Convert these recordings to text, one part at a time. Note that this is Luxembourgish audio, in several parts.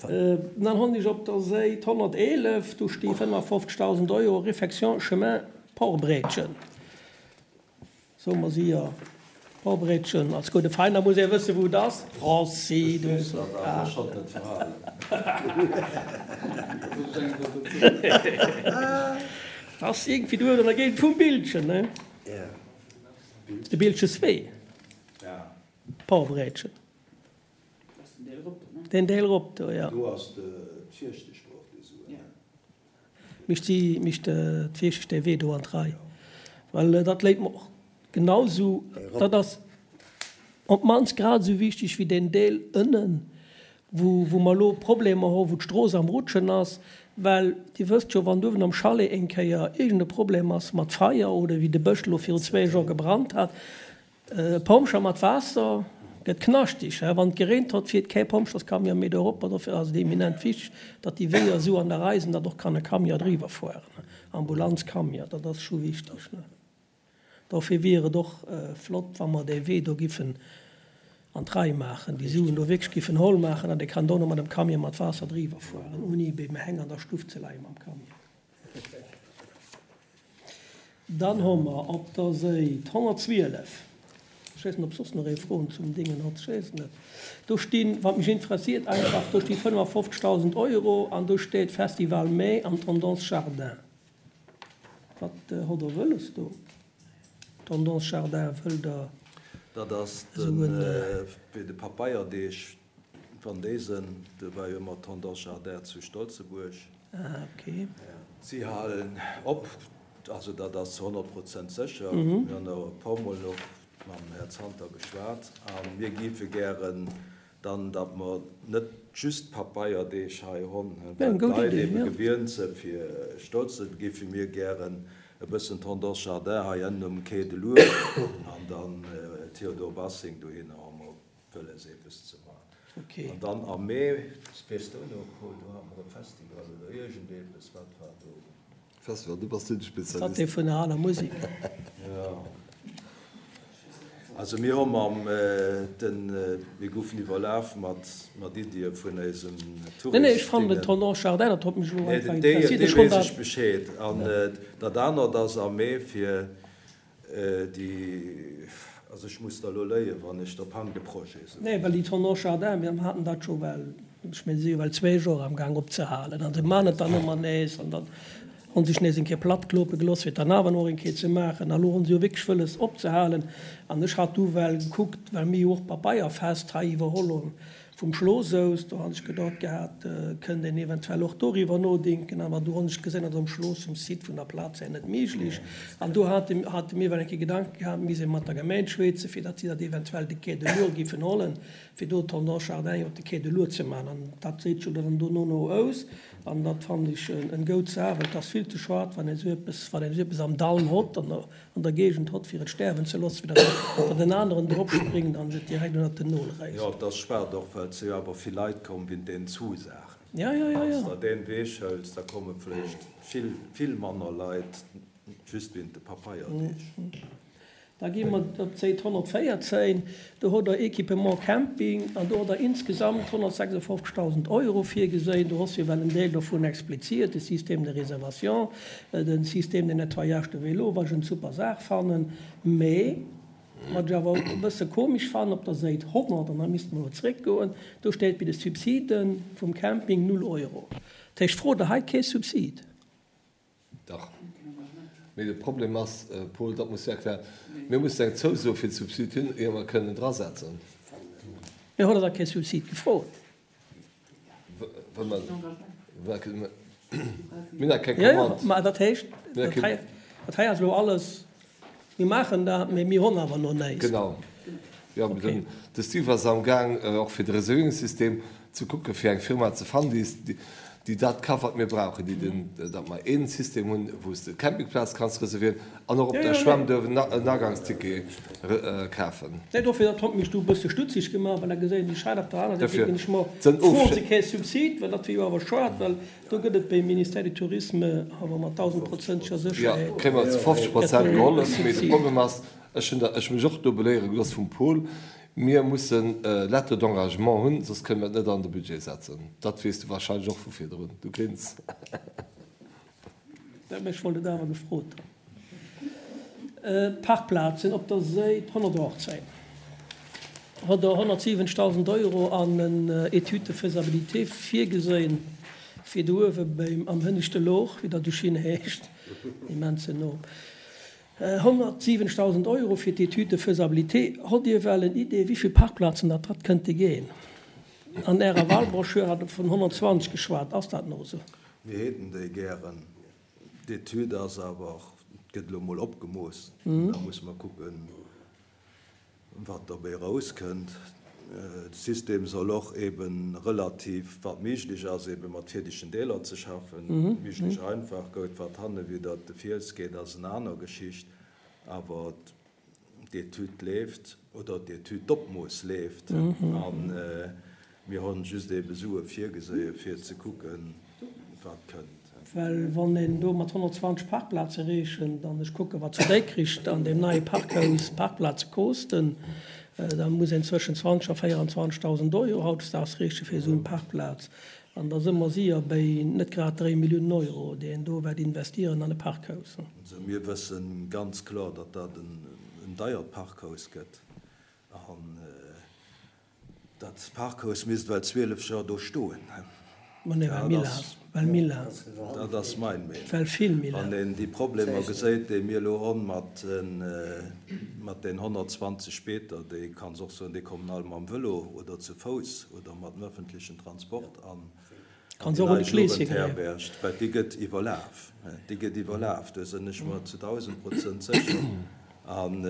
Dann hunn ech op der Säit 111, do sti 55.000 Euro Réfection chemin Porbréitchen. Soe mer si jo Porbréitchen. Als gudde Veiner muss ee wësse wou et ass. Franci, du hues dat awer schonn net verhalen. Ass iergendwéi do an der Géigend vum Bildchen, ne? De Bildcheswee. Porbréitchen. Den Deel erop do, jo. Do ass d'Fierchtesch och déi Suen, ne? Mischt si, mischt d'Fierchtesch dee Wee do an d'Rei, well dat léit mer och genau sou, dat ass op d'mannst grad esou wichteg wéi deen Deel ënnen, wou, wou mer elo Problemer hu, wou d'Strooss am Rutschen ass, well Dir wësst jo, wann uewen am Chalet eng Kéier iergend e Problem ass mat Feier oder wéi de Bësch elo virun zwéi Joer gebrannt hat, E Pompjer mat Waasser gëtt knaschteg, he? Wann et gereent hott, fiert kee Pompjerscamion méi do erop. Dofir ass et eminent wichteg, datt déi Weeër esou an der Rei sinn, datt och kann e Camion driwwer fueren, Ambulanzcamion, dat ass scho wichteg, ne? Dofir wier et och flott, wa mer dee Wee do giffen an d'Rei maachen, déi Suen do wierklech giffen holl maachen, datt ee kann dono mat em Camion mat Waasser driwwer fueren, ouni beim Heng an der Stuff ze leie mam Camion. Dann hu mer op der Séit 112, ech weess net, ob soss nach ee Froen zum Dingen hott, ech weess et net, do stinn, wat mech interessiert einfach, do sti 55.000 Euro an do steet Festival Mai an Tendance Jardin. Wat hott Der wëlles do? Tendance Jardin, wëllt Der Dat ass esou en. Wéi de Papeierdeeg Van Desen, do war jo ëmmer Tendance Jardin zu Stolzebuerg. Ah, ok. Si halen op, also dat ass zu 100 Prozent sécher. Mir hunn och e puer Mol och mam Här Zanter geschwat a mir géife gären dann, datt mer net just Papeierdeeg hei honn, well d'Leit ebe gewient se fir Stolze, géife mir gären e bëssen Tendance Jardin hei ënnen um Quai de l'Our an dann Théodore Bassing dohinner hu mer wëlles eppes ze man. An dann am Mee, weess de och nach, do hate mer e Festival oder iergendeppes, wat war do? Festival, du bass do de Spezialist. Wat dee vun der aler Musek? Jo. Also mir hu mam den, mir goufen iwwerlaf mat mat Iddie vun eisem Tourist. Nee, nee, ech fannen den Tendance Jardin, dat huet mech elo einfach interesséiert. Dee weess ech Bescheed. An dat anert ass am Mee fir Déi, also ech muss der elo léien, wann ech der Panne de Projet soen. Nee, well déi Tendance Jardin, mir haten dat scho well, ech mengen, si si jo well zwéi Joer amgaang opzehalen an se man et dann ëmmer nees an dann hu sech nees eng Kéier plattklope gelooss, fir et dann awer nach eng Kéier ze maachen. A lo hu se jo wierklech wëlles opzehalen an ech hat du well gekuckt, well mir jo och d'Papeierfest hei iwwerholl hunn, Vum Schloss aus, do hat ech gedacht gehat, kënnt een eventuell och doriwwer nodenken, awer do hunn ech gesinn, datt um Schloss, um Site vun der Plaz här net méiglech. An do hate hate mir well eng Kéier Gedanken gehat, misst ee mat der Gemeng schwätzen, fir datt si dat eventuell de Quai de l'Our giffen hollen, fir do d'Tendance Jardin op de Quai de l'Our ze maachen. An dat seet jo dann dono no aus. An dat fannen ech en goud Saach, well et ass vill ze schued, wann een esou eppes, wann een esou eppes am Dall hott, an der an der Géigend hott fir et stäerwen ze loossen, wéi datt en aneren drop springt an et direkt ënnert den Nol réisst. Jo, et ass schued och, well et si jo awer vill Leit komm wéint deenen Zusaachen. Ja, ja, ja, ja. Wann s de deen Weeg hëls, da komme vléicht vill, vill manner Leit just wéint de Papeierdeeg. Da gi mer op d'Säit 114, do hutt Der Équipement Camping an do hutt Der insgesamt 156.000 Euro virgeséin. Do ass jo well en Deel dovun expliziert, de Système de réservation, de Système de nettoyage de vélo, wat ech en super Saach fannen, mä wat ech awer e bësse komesch fannen, op der Säit 100, an da misste mer elo zréckgoen, do steet bei de Subside vum Camping null Euro. Dat heescht, frot Der hei kee Subsid? Dach. Mee de Problem ass, Paul, dat muss du erklären, mir mussen eng Zouso fir d'Subsid hunn, ier mer kënnen drasetzen. Mee hutt Der da kee Subsid gefrot? Well mer, mir hunn nach keng Commande. Jo, jo, mä dat heescht, dat hei, dat hei ass elo alles, mir maachen dat, mee mir hunn awer nach näischt. Genau. Jo, den, de Steve ass amgaang, och fir de Reservierungssystem ze kucken, fir eng Firma ze fannen, déi, déi dat ka wat mir brauchen, déi den, datt mer ee System hunn, wou s de d'Campingplaz kanns reservieren an och op der Schwämm duerf en en Agangsticket kafen. Nee, dofir, dat hott mech du e bësse stutzig gemaach, well da geséien ech hei op der aner Säit, denken ech mer, froen se kee Subsid, well dat wier jo awer schued, well do gëtt et beim Ministère du Tourisme awer mat dausendprozenteger Sécherheet. Jo, kréie mer zu 50 Prozent gehollef, mee de Problem ass, Ech hunn der, ech hu mech och do beléiere gelooss vum Paul. Mir mussen Lettre d'engagement hunn, soss kënne mer et net an de Budget setzen. Dat weess du wahrscheinlech och vu virdrun. Du grins. Mä ech wollt et awer gefrot hunn. Parkplazen op der Séit 118 hutt Der 170.000 Euro an en Étude de faisabilité virgesinn, fir do uewe beim, am hënneschte Looch, wéi dat esou schin heescht, immens no, 170.000 Euro fir d'Étude de faisabilité. Hott Dir well en Idee, wéi vill Parkplazen dat dat kënnte ginn? An Ärer Wahlbroschür hat Der vun 120 geschwat. Ass dat nach esou? Mir häten déi gären. D'Etüd ass awer, gëtt elo mol opgemooss. Da musse mer kucken, wat dobäi erauskënnt. De System soll och ebe relativ, wat méiglech ass, ebe mat fierdegen Deeler ze schaffen, méiglech einfach gout. Wat hanne widder de Fiels geet, ass en aner Geschicht. Awer d'Etüd leeft, oder d'Etüd, d'Opmooss leeft a mir hunn just ebe Sue virgeséie fir ze kucken, wat kënnt. Well wann een do mat 120 Parkplaze reechent, an ech kucke wat zu Dikrich an deem neie Parkhaus d'Parkplaze kosten, da muss een zwëschen 20 a 24.000 Euro hautdesdaags reeche fir esou eng Parkplaz. An da si mer séier béi net grad 3 Milliounen Euro, déi een do wäert investieren an e Parkhaus. Also mir wësse ganz kloer, datt dat en deiert Parkhaus gëtt. An dat Parkhaus misst well 12 Joer do stoen. Ma nee, well méi laang, well méi laang. Dat ass mein Meenung. Well vill méi laang. Wann een déi Problemer geséit, déi mir elo honn mat den 120 Beeter, déi, kanns och soen, déi kommen all mam Vëlo oder zu Fouss oder mat dem öffentlichen Transport an déi nei Jugendherberg, well déi gëtt iwwerlaf. Déi gëtt iwwerlaf, do sinn ech mer zu 1000 Prozent sécher. An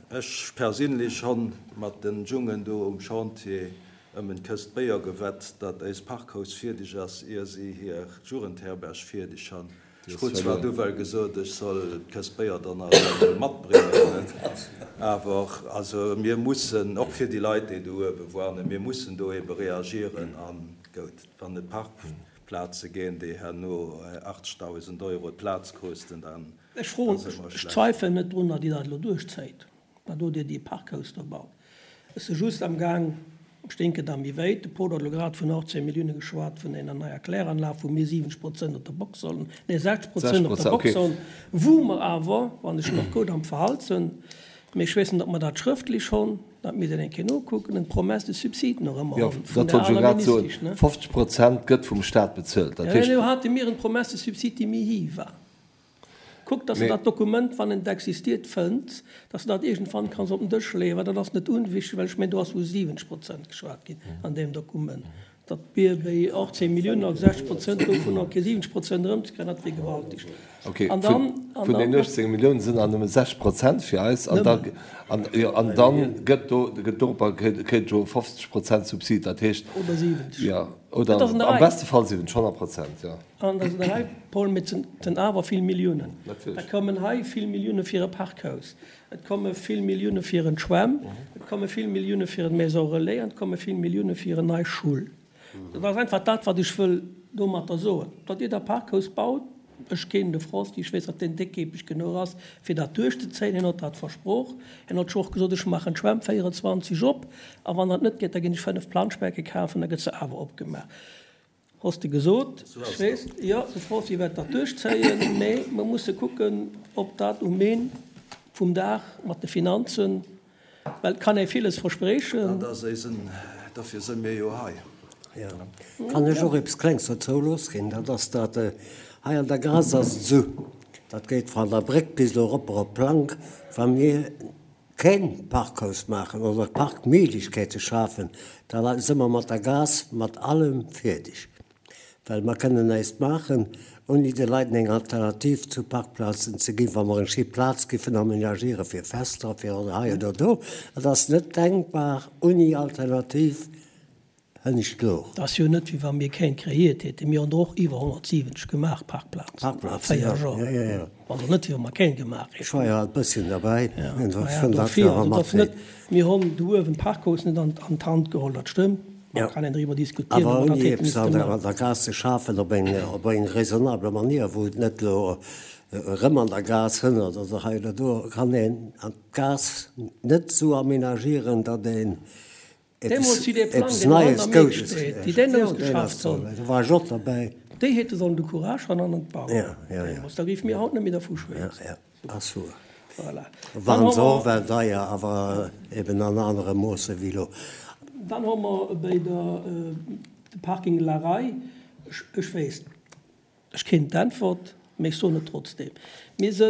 ech perséinlech honn mat den Jungen do um Chantier ëm en Këst Béier gewett, datt éist Parkhaus fierdeg ass, ier si hir Jugendherberg fierdeg han. Ech krut zwar du well gesot, ech soll d'Këst Béier dann nach emol matbréngen, awer also mir mussen, och fir déi Leit, déi do uewe woanen, mir mussen do ebe reagieren. A gout, wann et Parkplaze ginn, déi herno 80.000 Euro d'Plaz kosten, dann Ech froen, si mer ech schlecht. zweifelen net drun, datt Dir dat elo duerchzéit. Wat do Dir déi Parkhaus do baut. Ech si just am Gaang, ech denken da méi wéit, de Paul huet elo grad vun 18 Millioune geschwat, vun enger neier Kläranlag, wou mir 70 Prozent op der Box sollen, nee 60 Prozent op der Box sollen, wou mer awer, wann ech nach gutt am Verhalt sinn, mee ech weess net, ob mer dat schrëftlech honn, dat misst een eng Kéier nokucken, en promesse de subside nach ëmmer honn vun der aler Ministesch, ne? 50 Prozent gëtt vum Staat bezuelt, dat heescht. Jo, hate mir en promesse de subside, déi méi hi war. Kuck, dass de dat Dokument, wann et existiert, fënns, dass de dat iergendwann kanns op den Dësch leeën, well dat ass net unwichtig, well ech mengen, do ass vu 70 Prozent geschwat ginn an deem Dokument. Datt mir béi 18 Milliounen, also 60 Prozent dovunner, kee 70 Prozent erëmzekréien, dat wier gewaltig. Okay, An dann, an vun den 18 Milliounen sinn awer nëmme 60 Prozent fir eis. An da, an, jo, an dann gëtt do, gëtt dorobber, kritt jo 50 Prozent Subsid, dat heescht. Oder 70. Jo, oder am beste Fall 70, 100 Prozent, jo. An da sinn hei, Paul, mee et sinn awer vill Milliounen. Da kommen hei vill Millioune fir e Parkhaus, et komme vill Millioune fir en Schwämm, et komme vill Millioune fir en Maison relais an et komme vill Millioune fir en nei Schull. Dat ass einfach dat, wat ech wëll domatter soen. Datt Dir da Parkhaus baut, ech kennen de Frosty, ech weess, datt deen déckkeepeg genuch ass, fir dat duerchzezéien. Hien huet dat versproch. Hien huet scho och gesot, ech maachen d'Schwämm 24 op a wann dat net geet, da ginn ech 5 Planschbecke kafen, da gëtt se awer opgemaach. Hoss de gesot. Ech weess, jo, de Frosty wäert dat duerchzéien, mä mer musse kucken, ob dat um Een vum Dag mat de Finanzen, well et kann ee villes versprechen. Dat ass eisen, dofir si mir jo hei. Jo, kann ech och eppes Klengs dozou losginn? Dat ass dat, hei an der Gaass ass et esou, dat geet van der Bréck bis elo eropper op d'Plank, wa mir keen Parkhaus maachen oder Parkméiglechkeete schafen, da si mer mat der Gaass mat allem fierdeg. Well mer kënnen näischt maachen, ouni de Leit eng Alternativ zu Parkplazen ze ginn, wa mer eng schéi Plaz giffen amenagiere fir Fester, fir hei oder do. Et ass net denkbar ouni Alternativ. Hënnescht Louch. Et ass jo net, wéi wa mir keng kreéiert hätten. Mir hunn der och iwwer 170 gemaach, Parkplazen, a 4 Joer. Also net, wéi wa mer keng gemaach hätten. Ech war jo alt bësschen derbäi. Dofir, also et ass net, mir hunn do uewen d'Parkhaus net an d'Hand geholl, dat stëmmt. Ma kann een driwwer diskutieren, Awer ob mer dat ouni hätte eppes misste an der, maachen. an der Gaass ze schafen op eng, op eng raisonnable Manier, wou et net elo erëm an der Gaass hënnert oder hei oder do, kann een an d'Gaass net esou aménagieren, datt een eppes, Deemools wéi dee Plang, eppes deen Neies, elo hanner mir Goudes, steet, déi deen jo, deen ass ausgeschafft do, hunn, do war ech och derbäi. déi hätte sollen de Courage han an et bauen. Ja, ja, ja. Deemools, da géife mir haut net méi dervu schwätzen. Ja, ja. Ass wuer. Voilà. Dann Waren hu se och mer. well deier, awer eben an anere Moosse wéi elo. Dann hu mer bei der, de Parking La Raye, ech, ech weess, ech keen d'Äntwert, mee ech soen et trotzdem. Mir si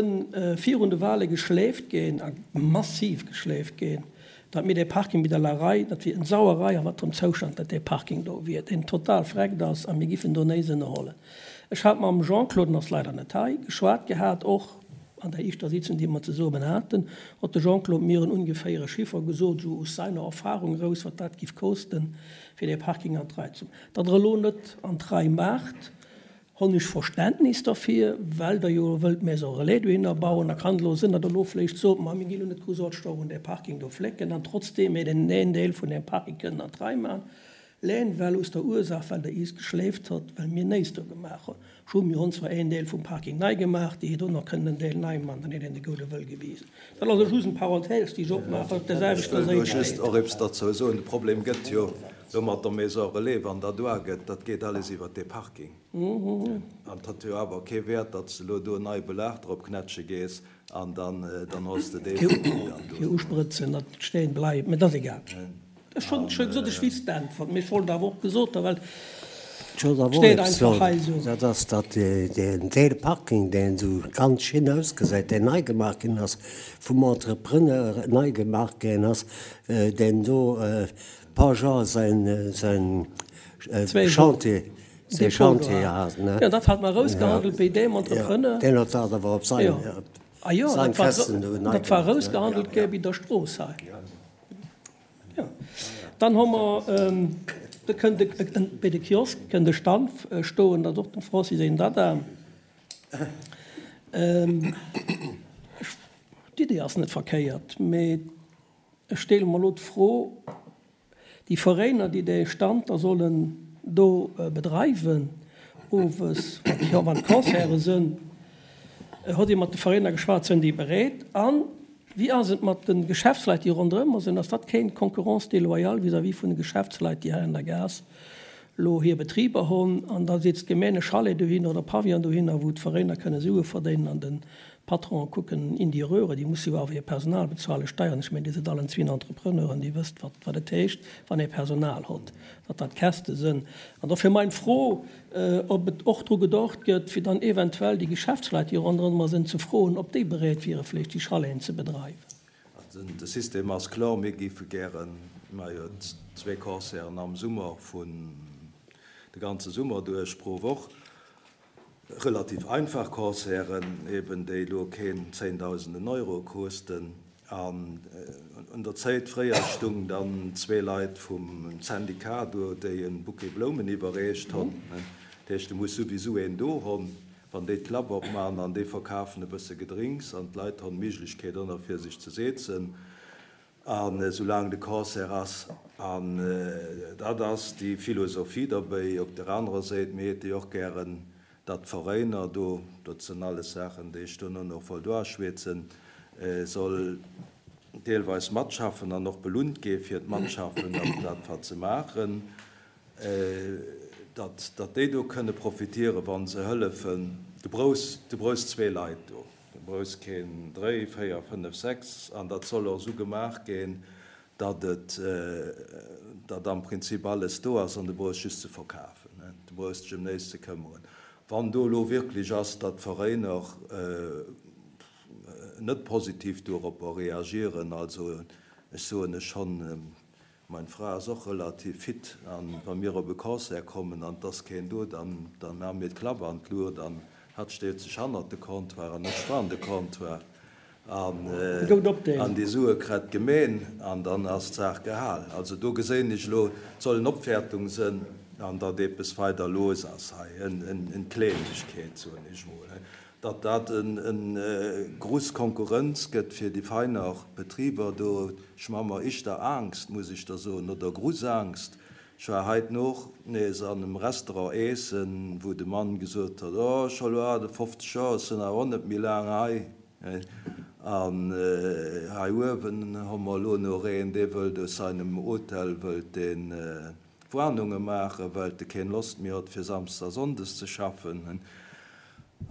virun de Wahle geschläft ginn, a massiv geschläft ginn, datt mir dee Parking bei der La Raye, dat wier eng Sauerei a wat fir engem Zoustand dat dee Parking do wier, deen total vreckt ass, a mir giffen do néis ënnerhollen. Ech hat mam Jean-Claude, en ass leider net hei, geschwat gehat, och an der éischter Sitzung, déi mer zesummen haten, huet de Jean-Claude mir en ungeféiere Chiffer gesot, esou aus seiner Erfahrung eraus, wat dat giff kosten, fir dee Parking an d'Rei ze. Datt Der elo net an d'Rei maacht, honn ech Verständnis derfir, well Der jo wëllt Maison Relais dohinner bauen. Da kann et elo sinn, datt Der elo vléicht sot, Ma mir ginn elo net groussaarteg do un dee Parking do flécken, an trotzdeem hätt een een Deel vun deem Parking kënnen an d'Rei maachen. Leen well aus der Ursaach well der iis geschléift hott, well mir néis do gemaach hon. Scho mir hon zwar een Deel vum Parking nei gemaach, déi heet och nach kënnen en Deel nei man, dann heet een de goude Wëll gewisen. Dat ass elo just en Parenthèse déi ech opmaachen, op der Ech selwechter wëll do Séit just steet. och eppes derzou soen. De Problem gëtt jo elo mat der Maison Relais, wann dat uagëtt, dat geet alles iwwert dee Parking. An et huet jo awer kee Wäert, datt s de elo do en neie Belag drop knätsche gees an dann, dann hos de dee Parking dann do. Fir usprëtzen, datt et stéen bleift, mä dat ass egal. Ech hunn scho gesot, ech wéisst d'Äntwert, mee ech wollt awer och gesot hu well Ech wollt awer och steet eppes einfach hei soen, esou. Dat ass, datt deen Deel Parking, deen esou ganz schin ausgesäit, deen nei gemaach ginn ass, vum Entrepreneur nei gemaach ginn ass, deen do Pageant säin säin Chantier, säi Chantier hat, ne? Jo, dat hat mer erausgehandelt bei deem Entrepreneur. Deen huet dat awer op sein, sein Kästen do nei gemaach. Dat war erausgehandelt gi bei der Strooss hei. Jo. Dann hu mer, do kënnt e, bei de Kiosk kënnt e Stand stoen, dat ass och dem Francis seng Dada. Ech, d'Idee ass net verkéiert, mee ech stelle mer elo d'Fro, déi Veräiner, déi dee Stand da sollen do bedreiwen owes, wann d'Concerte sënn, hutt Dir mat de Veräiner geschwat, sënn déi bereet? An Wéi ass et mat de Geschäftsleit, déi ronderëmmer sinn? Ass dat keng Concurrence déloyale vis-à-vis vun de Geschäftsleit, déi hei an der Gaass elo hir Betriber hunn? An da setzt d'Gemeng e Chalet dohinner oder e Pavillon dohinner, wou d'Veräiner kënne Sue verdéinen an de Patronen kucken in die Röhre. Déi musse jo awer hir Personal bezuelen, Steieren. Ech mengen, Dir sidd allen zwee Entrepreneuren, Dir wësst, wat et heescht, wann ee Personal hott, datt dat Käste sënn. An dofir meng Fro, ob et och dru gedocht gëtt, fir dann eventuell déi Geschäftsleit, déi ronderëm sinn, ze froen, ob déi bereet wiere vläicht déi Chaleten ze bedreiwen. Also de System ass kloer, mir géife gären, mir hu jo zwee Concerten am Summer, vun de ganze Summer duerch pro Woch, relativ einfach Concerten eben, déi elo keen zéndausenden Euro kosten, An un der Zéit fréier stung dann zwee Leit vum Syndicat do, déi en Bouquet Bloumen iwwerreecht honn. Dat heescht, du muss souwisou een do honn, wann déi d'Klapp opman an déi verkafen e bësse Gedrinks an d'Leit honn d'Méiglechkeet och nach fir sech ze seezen an esoulaang de Concert ass. An dat ass déi Philosophie derbéi. Op der anerer Séit, mir hate jo och gären Datt d'Veräiner do, dat sënn alles Saachen, déi ech duerno nach wollt uaschwätzen, soll deelweis matschaffen an och belunt gi fir d'Matschaffen an dat wat se maachen, datt datt déi do kënne profitieren, wa se hëllefen. Du brauchs, du brauchs zwee Leit do, du brauchs keen dréi, véier, fënnef, sechs an dat soll och esou gemaach ginn, datt et, datt am Prinzip alles do ass an du brauchs just ze verkafen, du brauchs dech ëm näischt ze këmmeren. Wann do elo wierklech ass, datt d'Veräiner net positiv doropper reagieren, also ech soen ech schonn, mein Fra ass och relativ fit an wa mir op e Concert kommen an et ass keen do, dann maache mir d'Klapp an d'Luucht an hatt stellt sech hannert de Comptoir an ech vrun de Comptoir. An déi Sue kritt d'Gemeen an dann ass d'Saach gehal. Also do geséin ech elo, et soll en Opwäertung sënn an datt eppes weider looss ass hei, en Klengegkeet, soen ech mol, datt dat en gruss Konkurrenz gëtt fir déi feiner Betriber do. Ech ma mer ischter Angst, muss ech der soen, oder gruss Angst. Ech war heit noch nees an em Restaurant eessen, wou de Mann gesot huet, Oh, ech hu lo 58 Joer, ech sinn awer och net méi laang hei. An hei uewen hu mer elo nach een, dee wëllt aus seinem Hotel wëllt deen Warnunge maachen, well e keen Lost méi hott fir Samsdes a Sonndes ze schaffen.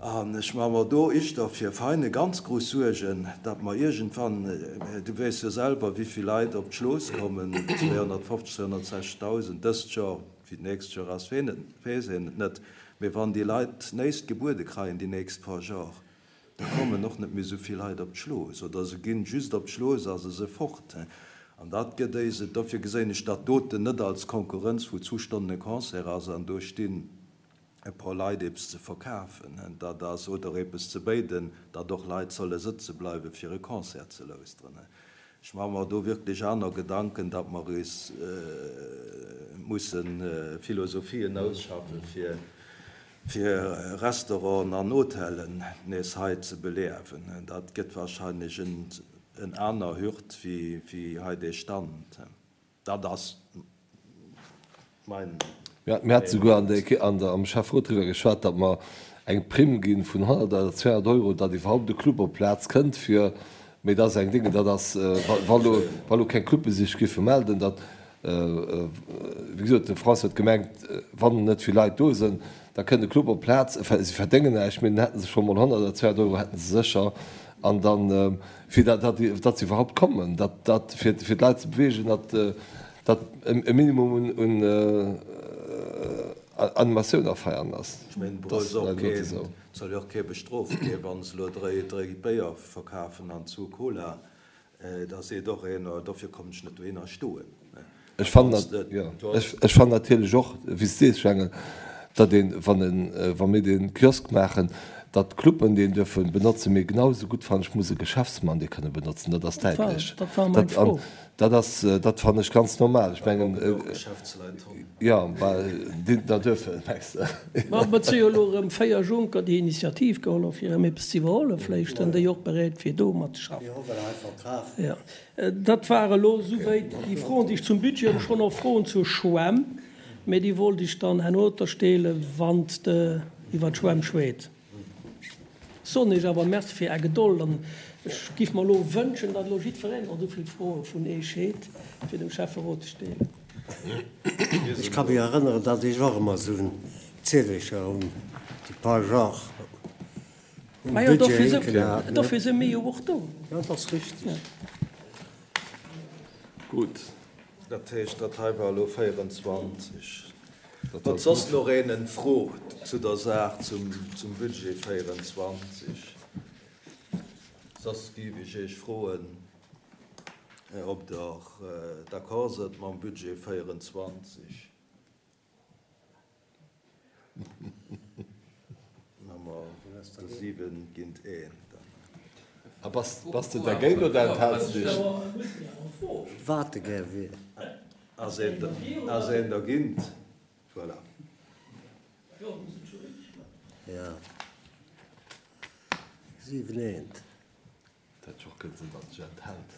An ech maache mer do ischter fir Veine ganz grouss Suergen, datt mer iergendwann, du weess jo selwer wéivill Leit op d'Schlooss kommen, 250, 260.000 dëst Joer, wéi d'nächst Joer ass, weess een et net, mee wann déi Leit néist gebuede kreien déi nächst paar Jor, Da kommen och net méi esou vill Leit op d'Schlooss, oder se ginn just op d'Schlooss a se se fort. An dat gëtt éis et. Dofir geséin ech dat doten net als Konkurrenz, wou zwou Stonnen e Concert ass an do stinn e puer Leit eppes ze verkafen, dat ass, oder eppes ze béiden, datt och Leit solle sëtze bleiwe fir e Concert ze lauschteren. Ech maache mer do wierklech aner Gedanken, datt mer eis musse Philosophien ausschaffe fir fir Restauranten an Hotellen nees hei ze beliewen. Dat gëtt wahrscheinlech en aner Hürd wéi hei dee Stand. Dat ass mein. Mir hate souguer an der am Schäfferot driwwer geschwat, datt mer eng Primm gi vun 100 oder 200 Euro, datt iwwerhaupt e Club op d'Plaz kënnt fir, mee dat ass eng Dénge, dat ass, wa lo keng Clube sech géife melden, datt Wéi gesot, de François huet gemengt, wann net vill Leit do sinn, da kënnt e Club op d'Plaz, si verdéngen näischt, mee dann hätte se scho mol 100 oder 200 Euro hätte se sécher. An dann, fir datt datt se iwwerhaupt kommen, datt dat fir fir d'Leit ze beweegen, datt datt e Minimum un Animatioun a Feiern ass. Ech mengen, et brauch och keen, soll jo och kee bestrooft ginn, wa se elo dréi Béier verkafen an zwou Cola. Da seet och een, oh, dofir kommen ech net dohinner stoen. Ech fannen, jo, ech fannen natierlech och, wéi s de sees, Jangel, datt een, wann en, wa mir dee Kiosk maachen, datt d'Cluben deen duerfe benotzen, mee genau esou gutt, fannen ech, muss e Geschäftsmann dee kënne benotzen. Dat ass däitlech. Dat war meng Fro. Dat ass, dat fannen ech ganz normal. Ech mengen, jo, bah, déi da duerfen, mengs de? Ma et si jo elo erëm 4 Juncker, déi Initiativ geholl hu fir erëm eppes ze iwwerhollen. Vläicht sinn déi och bereet, fir do matzeschaffen. Jo, dat war elo esouwäit déi Froen, déi ech zum Budget hunn. Ech hunn och Froen zur Schwämm, mee déi wollt ech dann herno der stelen, wann s de iwwer d'Schwämm schwät. Soen Iech awer Merci fir Är Gedold an ech giff mer elo wënschen, datt elo jiddwereen och esou vill Froe vun Eech heet, fir dem Schäfferot ze stelen. Ech ka mech erënneren, datt ech och ëmmer esou en Ziedelecher um déi paar Jahre um Majo, Budget dofir si, hinken hat, ne? dofir si mir jo och do. Jo, dat ass richteg. Gutt. Dat heescht, dat hei war elo 24. Huet soss nach een en Fro zu der Saach, zum Budget 24? Soss géif ech Iech froen, ob Der d'accord sënnt mam Budget 24. Hu mer 7 géint 1. A bass de dergéint oder enthälts de dech? Wat de gär wier. Ass een dergint? Voilà. Jo. 7 eent. Dat hätt jo och kënnen sinn, datt sech enthält.